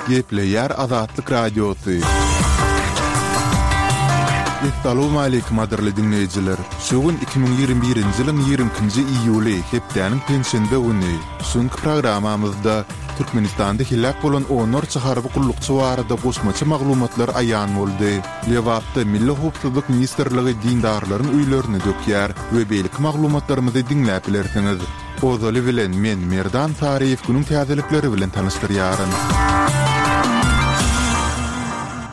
Gepleýär Azatlyk Radiosy. Essalawmaleýkim gadyrly diňleýjiler! Şu gün 2021-nji ýylyň 22-nji iýuly, hepdäniň penşenbe güni. Şu günki programmamyzda Türkmenistanda heläk bolan onlarça harby gullukçy barada goşmaça maglumatlar aýan boldy. Lebapda Milli howpsuzlyk ministrligi dindarlaryň öýlerini dökýär we beýleki maglumatlarymyzy diňläp bilersiňiz. Ozaly bilen men Merdan Saryýew günüň täzelikleri bilen tanyşdyrýaryn.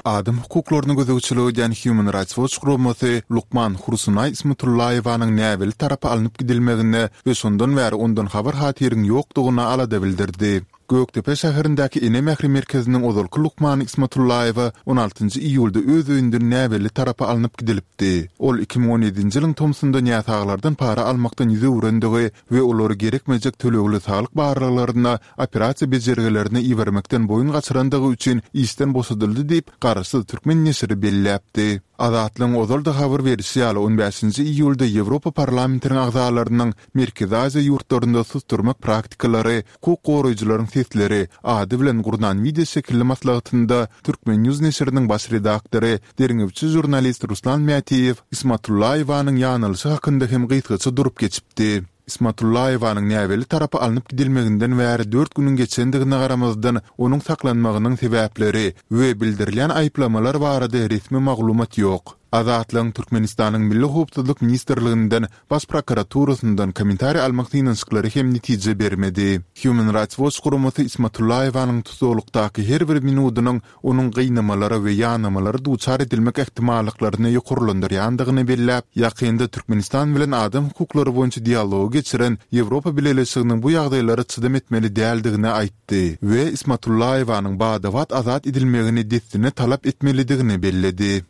Adam hukuklaryna gözegçilik edýän Human Rights Watch guramasy lukman Hursunaý Ismatullaýewanyň näbelli tarapa alnyp gidilmegine we şondan bäri ondan habar-hatyryň ýokdugyna alada bildirdi. Gökdepe şäherindäki Ene mähri merkeziniň ozalky lukmany Ismatullaýewa on altynjy iýulda öz öýünden näbelli tarapa alnyp gidilipdi. Ol 2017-nji ýylyň tomsunda näsaglardan para almakdan ýüz öwrendigi we olary gerekmejek tölegli saglyk barlaglaryna, operasiýa bejergilerine ibermekden boýun gaçyrandygy üçin işden boşadyldy diýip, garaşsyz türkmen neşiri belläpdi. Azatlygyň ozal-da habar berişi ýaly, on bäşinji iýulda Ýewropa Parlamentiniň agzalarynyň Merkezi Aziýa ýurtlarynda susdurmak praktikalary, hukuk goraýjylaryň sesleri ady bilen gurnan wideoşekilli maslahatynda Turkmen. News neşiriniň baş redaktory, derňewçi žurnalist Ruslan Mätiýew Ismatullaýewanyň ýanylyşy hakynda hem gysgaça durup geçipdi. Ismatullaýewanyň näbelli tarapa alnyp gidilmeginden bäri dört günüň geçendigine garamazdan, onuň saklanmagynyň sebäpleri we bildirilýän aýyplamalar barada resmi maglumat ýok. Azatlygyň Türkmenistanyň Milli howpsuzlyk ministrliginden, Baş prokuraturasyndan kommentariý almak synanyşyklary hem netije bermedi. Human Rights Watch guramasy Ismatullaýewanyň tussaglykdaky her bir minudynyň onuň gynamalara we ýanamalara duçar edilmek ähtimallyklaryny ýokarlandyrýandygyny belläp, ýakynda Türkmenistan bilen adam hukuklary boýunça dialogy geçiren Ýewropa Bileleşiginiň bu ýagdaýlara çydam etmeli däldigini aýtdy we Ismatullaýewanyň bada-bat azat edilmegini dessine talap etmelidigini belledi.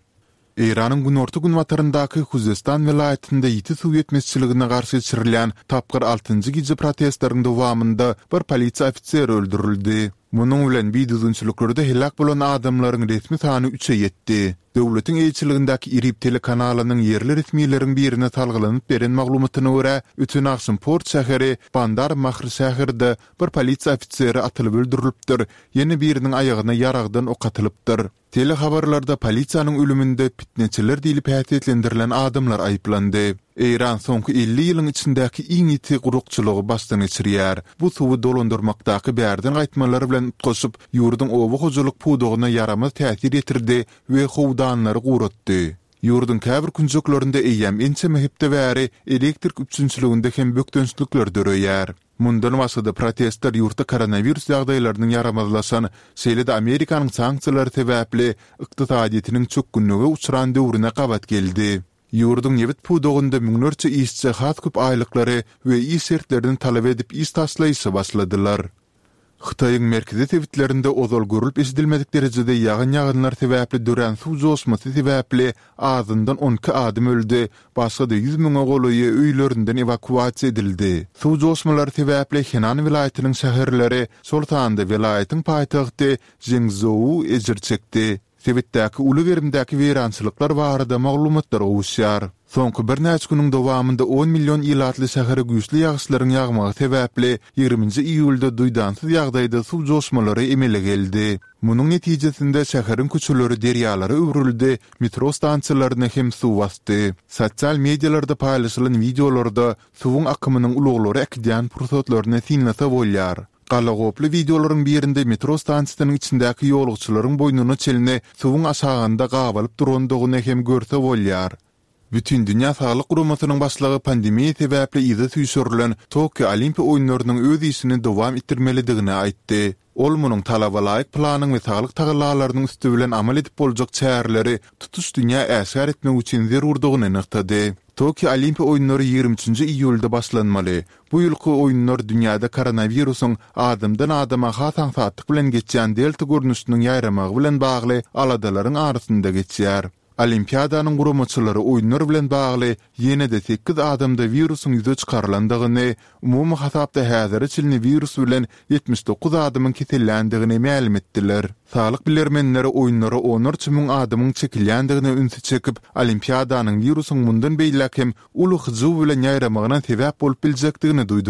Eýranyň günorta-günbataryndaky Huzestan welaýatynda ýiti suw ýetmezçiligine garşy geçirilýän tapgyr altynjy gije protestleriň dowamynda bir polisiýa ofiseri öldürildi. Munuň bilen bidüzgünçiliklerde heläk bolan adamlaryň resmi sany üçe ýetdi. Döwletiň eýeçiligindäki IRIB telekanalynyň ýerli resmileriň birine salgylanyp beren maglumatyna görä, öten agşam port şäheri Bandar Mahr şäherde bir polisiýa ofiseri atylyp öldürilipdir, ýene biriniň aýagyna ýaragdan ok atylypdyr. Telehabarlarda polisiýanyň ölüminde pitneçiler diýlip häsiýetlendirilen adamlar aýyplandy. Eýran soňky 50 ýylyň içindäki iň ýiti gurakçylygy başdan geçirýär. Bu suwy dolandyrmakdaky bärden gaýtmalar bilen utgaşyp, ýurduň oba hojalyk pudagyna ýaramaz täsir ýetirdi we howdanlary guratdy. Ýurduň käbir künjeklerinde eýýäm ençeme hepde bäri elektrik üpjünçiliginde hem bökdençlikler döreýär. Mundan başga-da, protestler ýurtda koronawirus ýagdaýlarynyň ýaramazlaşan, şeýle-de Amerikanyň sanksiýalary sebäpli ykdysadyýetiniň çökgünlige uçran döwrüne gabat geldi. Ýurduň nebit pudagynda müňlerçe işçi has köp aýlyklary we iş şertlerini talap edip iş taşlaýşa başladylar. Hytaýyň merkezi sebitlerinde ozal görlüp-eşidilmedik derejede ýagan ýagynlar sebäpli dörän suw joşmasy sebäpli azyndan 12 adam öldi, başga-da ýüz müňe golaýy öýlerinden ewakuasiýa edildi. Suw joşmalary sebäpli Henan welaýatynyň şäherleri, şol sanda welaýatyň paýtagty Žengzhou ejir çekdi. Sebitdäki uly gerimdäki weýrançylyklar barada maglumatlar gowuşýar. Soňky birnäçe günüň dowamynda on million ilatly şähere güýçli ýagyşlaryň ýagmagy sebäpli ýigriminji iýulda duýdansyz ýagdaýda suw joşmalary emele geldi. Munuň netijesinde şäheriň köçeleri derýalara öwrüldi, metro stansiýalaryny hem suw basdy. Sosial medialarda paýlaşylan wideolarda suwuň akymynyň ulaglary äkidýän pursatlaryny synlasa bolýar. Galagoply wideolaryň birinde metro stansiýasynyň içindäki ýolagçylaryň boýnuna çenli suwuň aşagynda gabalyp durandygyny hem görse bolýar. Bütindünýä Saglyk Guramasynyň başlygy pandemiýa sebäpli yza süýşürilen Tokio Olimpiýa oýunlarynyň öz işini dowam etdirmelidigini aýtdy. Ol munuň talabalaýyk planyň we saglyk tagallalarynyň üsti bilen amal edip boljak çäreleri tutuş dünýä äşgär etmek üçin zerurdygyny nygtady. Tokio Olimpiýa oýunlary 23 üçünji iýulda başlanmaly. Bu ýylky oýunlar dünýäde koronawirusyň adamdan-adama has aňsatlyk bilen geçýän delta görnüşiniň ýaýramagy bilen bagly aladalaryň arasynda geçýär. Olimpiadanyň guramaçylary oýunlar bilen bagly ýene-de sekiz adamda wirusyň ýüze çykarylandygyny, umumy hasapda häzire çenli wirus bilen 79 adamyň keselländigini mälim etdiler. Saglyk bilermenleri oýunlara onlarça müň adamyň çekilýändigine ünsi çekip, Olimpiadanyň wirusyň mundan beýläk hem uly hyjuw bilen ýaýramagyna sebäp bolup biljekdigini duýdurdylar.